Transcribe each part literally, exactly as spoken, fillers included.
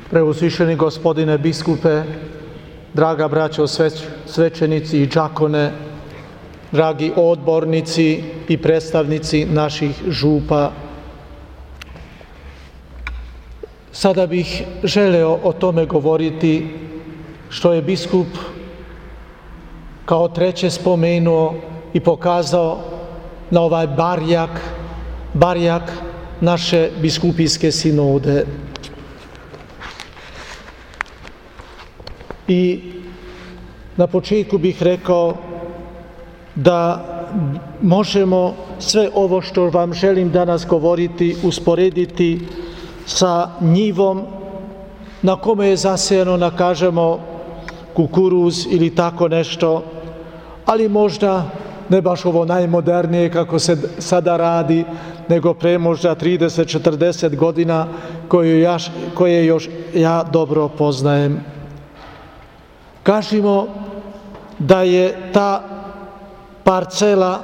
Preuzvišeni gospodine biskupe, draga braćo svećenici i đakone, dragi odbornici i predstavnici naših župa. Sada bih želeo o tome govoriti što je biskup kao treće spomenuo i pokazao na ovaj barjak, barjak naše biskupijske sinode. I na početku bih rekao da možemo sve ovo što vam želim danas govoriti usporediti sa njivom na kome je zasejano, da kažemo, kukuruz ili tako nešto, ali možda ne baš ovo najmodernije kako se sada radi, nego pre možda trideset do četrdeset godina koje, ja, koje još ja dobro poznajem. Kažimo da je ta parcela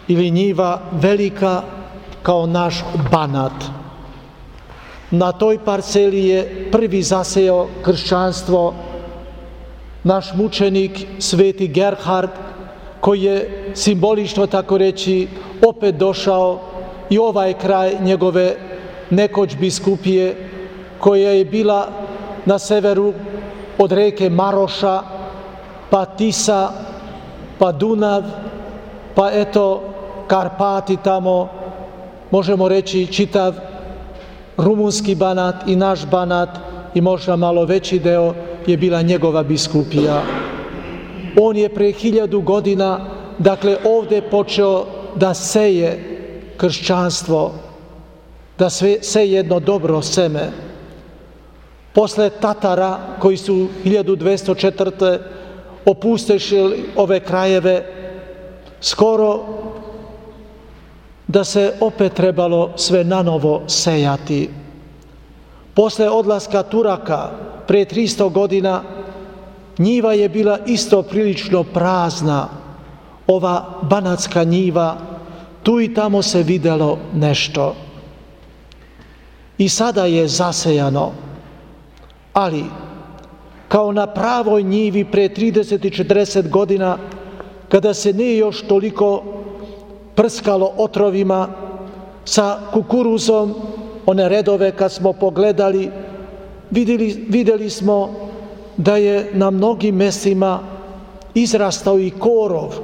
ili njiva velika kao naš Banat. Na toj parceli je prvi zasejao kršćanstvo naš mučenik sveti Gerhard, koji je simbolično, tako reći, opet došao i ovaj kraj njegove nekoć biskupije, koja je bila na severu od reke Maroša, pa Tisa, pa Dunav, pa eto Karpati tamo, možemo reći čitav rumunski Banat i naš Banat i možda malo veći deo je bila njegova biskupija. On je pre hiljadu godina, dakle, ovdje počeo da seje kršćanstvo, da seje jedno dobro seme. Posle Tatara, koji su hiljadu dvesta četvrte opustešili ove krajeve, skoro da se opet trebalo sve nanovo sejati. Posle odlaska Turaka, pre tristo godina, njiva je bila isto prilično prazna, ova banatska njiva, tu i tamo se videlo nešto. I sada je zasejano, ali kao na pravoj njivi pre trideset i četrdeset godina, kada se nije još toliko prskalo otrovima, sa kukuruzom, one redove kad smo pogledali, vidjeli, vidjeli smo da je na mnogim mestima izrastao i korov,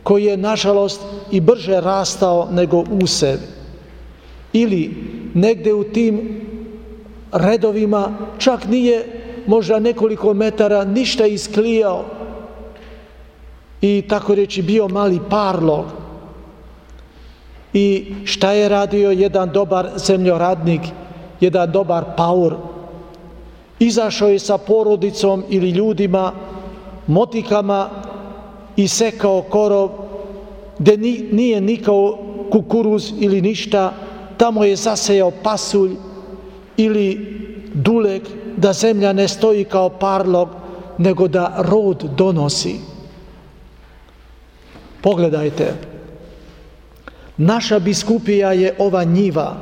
koji je nažalost i brže rastao nego usev. Ili negde u tim redovima čak nije možda nekoliko metara ništa isklijao i tako reći bio mali parlog. I šta je radio jedan dobar zemljoradnik, jedan dobar paur? Izašao je sa porodicom ili ljudima, motikama i sekao korov, gde nije nikao kukuruz ili ništa, tamo je zasejao pasulj ili dulek, da zemlja ne stoji kao parlog, nego da rod donosi. Pogledajte, naša biskupija je ova njiva.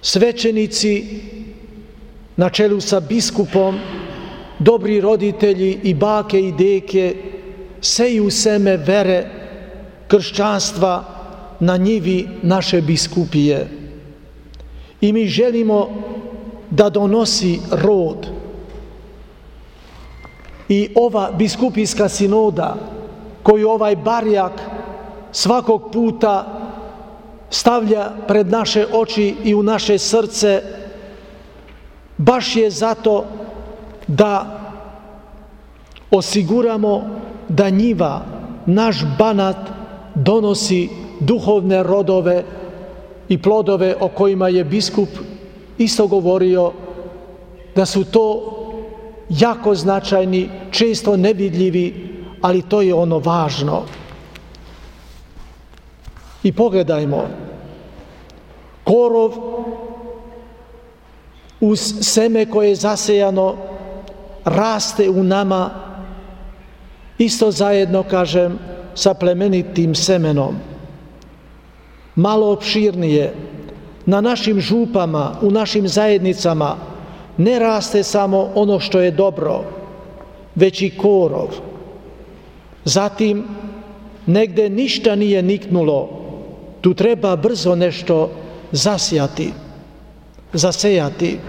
Svećenici na čelu sa biskupom, dobri roditelji i bake i deke seju seme vere, kršćanstva na njivi naše biskupije. I mi želimo da donosi rod. I ova biskupijska sinoda, koju ovaj barjak svakog puta stavlja pred naše oči i u naše srce, baš je zato da osiguramo da njiva, naš Banat, donosi duhovne rodove i plodove o kojima je biskup isto govorio, da su to jako značajni, često nevidljivi, ali to je ono važno. I pogledajmo, korov uz seme koje je zasejano raste u nama, isto zajedno, kažem, sa plemenitim semenom. Malo opširnije, na našim župama, u našim zajednicama ne raste samo ono što je dobro, već i korov. Zatim, negde ništa nije niknulo, tu treba brzo nešto zasijati, zasejati.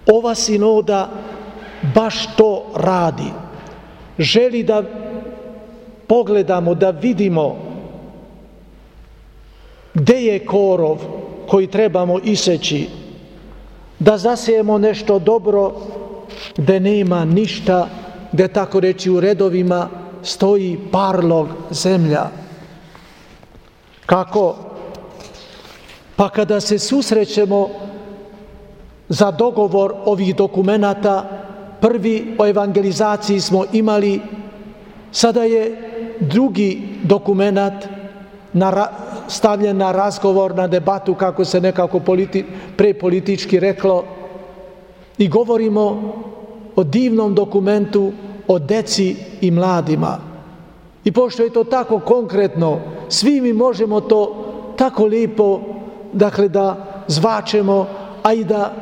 Ova sinoda baš to radi. Želi da pogledamo, da vidimo gde je korov koji trebamo iseći, da zasijemo nešto dobro gde nema ništa, gde tako reći u redovima stoji parlog zemlja. Kako? Pa kada se susrećemo za dogovor ovih dokumenata, prvi o evangelizaciji smo imali, sada je drugi dokumenat na, stavljen na razgovor, na debatu, kako se nekako politi, prepolitički reklo, i govorimo o divnom dokumentu o deci i mladima. I pošto je to tako konkretno, svi mi možemo to tako lijepo, dakle, da zvačemo, a i da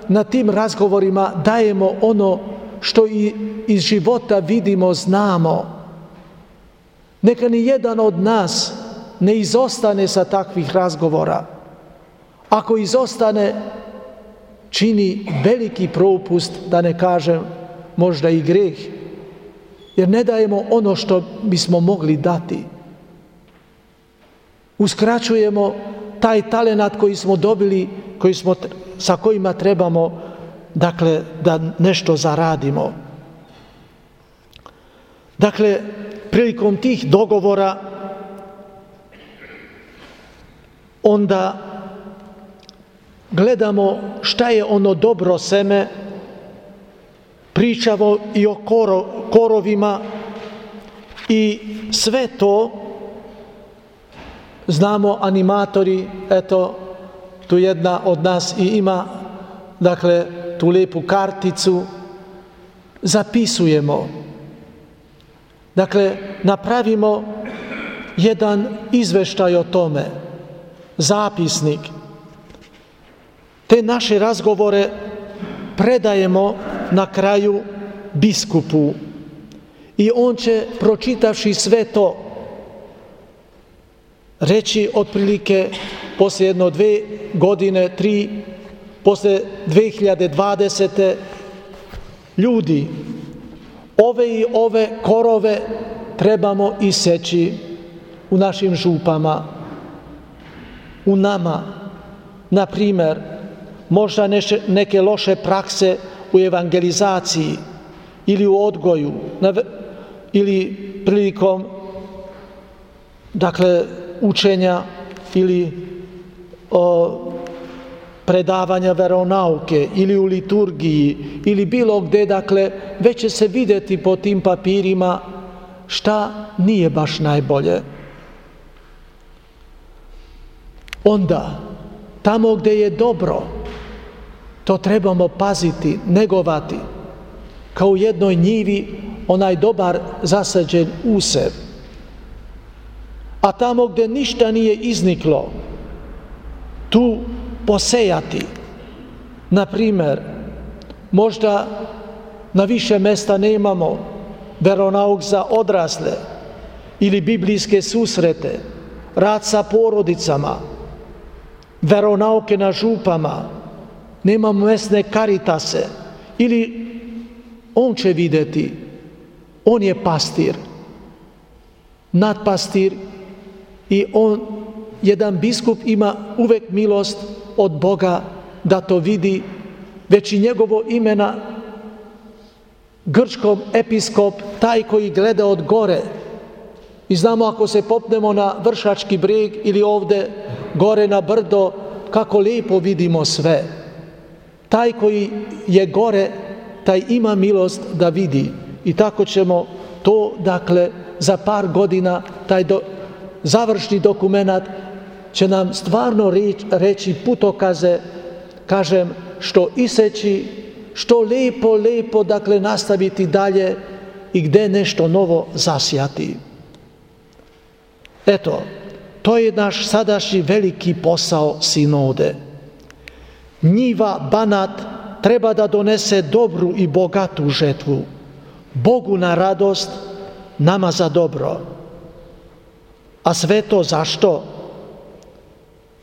na tim razgovorima dajemo ono što i iz života vidimo, znamo. Neka ni jedan od nas ne izostane sa takvih razgovora. Ako izostane, čini veliki propust, da ne kažem možda i greh, jer ne dajemo ono što bismo mogli dati. Uskraćujemo taj talenat koji smo dobili, koji smo, sa kojima trebamo, dakle, da nešto zaradimo. Dakle, prilikom tih dogovora onda gledamo šta je ono dobro seme, pričamo i o koro, korovima i sve to znamo animatori, eto, tu jedna od nas i ima, dakle, tu lijepu karticu, zapisujemo. Dakle, napravimo jedan izveštaj o tome, zapisnik. Te naše razgovore predajemo na kraju biskupu i on će, pročitavši sve to, reći otprilike poslije jedno dve godine, tri, poslije dve hiljade dvadesete. Ljudi, ove i ove korove trebamo iseći u našim župama, u nama. Na primjer, možda neke loše prakse u evangelizaciji ili u odgoju ili prilikom, dakle, učenja ili o, predavanja veronauke ili u liturgiji ili bilo gde, dakle, već će se vidjeti po tim papirima šta nije baš najbolje. Onda, tamo gde je dobro, to trebamo paziti, negovati, kao u jednoj njivi onaj dobar zasađen usjev. A tamo gde ništa nije izniklo, tu posejati. Na primjer, možda na više mesta nemamo veronauk za odrasle ili biblijske susrete, rad sa porodicama, veronauke na župama, nemamo mesne karitase, ili on će vidjeti, on je pastir, nadpastir, i on, jedan biskup, ima uvek milost od Boga da to vidi, već i njegovo imena grčkom episkop, taj koji gleda od gore. I znamo, ako se popnemo na Vršački breg ili ovde gore na brdo, kako lijepo vidimo sve. Taj koji je gore, taj ima milost da vidi. I tako ćemo to, dakle, za par godina, taj do, završni dokumenat će nam stvarno reći, reći putokaze, kažem, što iseći, što lijepo, lijepo, dakle, nastaviti dalje i gde nešto novo zasijati. Eto, to je naš sadašnji veliki posao sinode. Njiva, Banat, treba da donese dobru i bogatu žetvu. Bogu na radost, nama za dobro. A sve to zašto?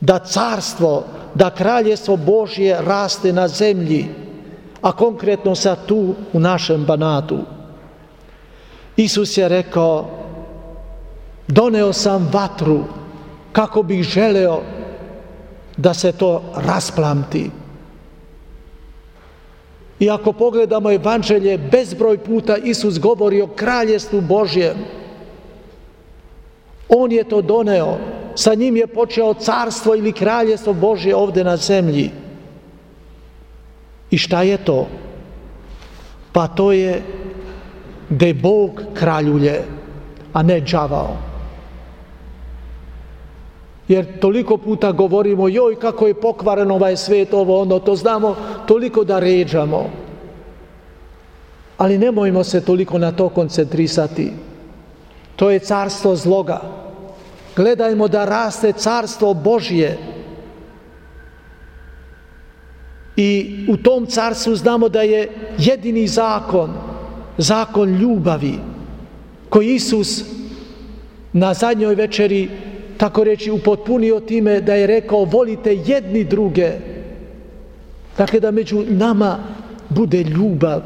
Da carstvo, da kraljestvo Božje raste na zemlji, a konkretno sad tu u našem Banatu. Isus je rekao, doneo sam vatru kako bih želeo da se to rasplamti. I ako pogledamo Evanđelje, bezbroj puta Isus govori o kraljestvu Božjem. On je to doneo, sa njim je počeo carstvo ili kraljestvo Božje ovdje na zemlji. I šta je to? Pa to je gdje Bog kraljuje, a ne đavao. Jer toliko puta govorimo, joj kako je pokvaren ovaj svijet, ovo ono, to znamo toliko da ređamo. Ali nemojmo se toliko na to koncentrisati. To je carstvo zloga. Gledajmo da raste carstvo Božje. I u tom carstvu znamo da je jedini zakon, zakon ljubavi, koji Isus na zadnjoj večeri, tako reći, upotpunio time da je rekao volite jedni druge. Dakle, da među nama bude ljubav.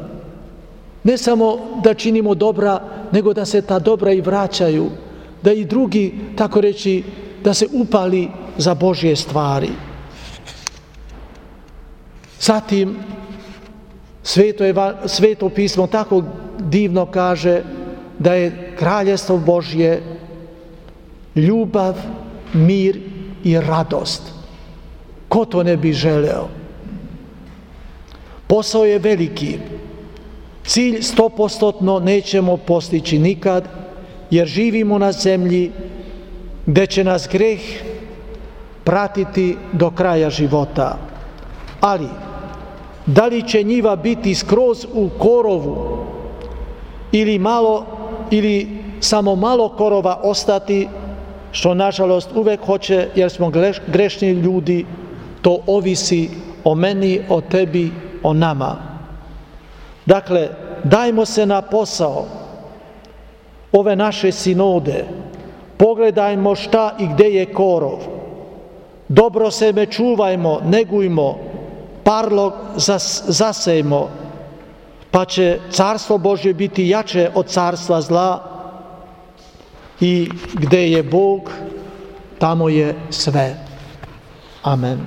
Ne samo da činimo dobra, nego da se ta dobra i vraćaju. Da i drugi, tako reći, da se upali za Božje stvari. Zatim, Sveto, Sveto pismo tako divno kaže da je kraljestvo Božje ljubav, mir i radost. Ko to ne bi želeo? Posao je veliki. Cilj stopostotno nećemo postići nikad, jer živimo na zemlji gdje će nas greh pratiti do kraja života. Ali, da li će njiva biti skroz u korovu ili malo, ili samo malo korova ostati, što nažalost uvek hoće, jer smo grešni ljudi, to ovisi o meni, o tebi, o nama. Dakle, dajmo se na posao ove naše sinode, pogledajmo šta i gde je korov, dobro seme čuvajmo, negujmo, parlog zas, zasejmo, pa će carstvo Božje biti jače od carstva zla i gde je Bog, tamo je sve. Amen.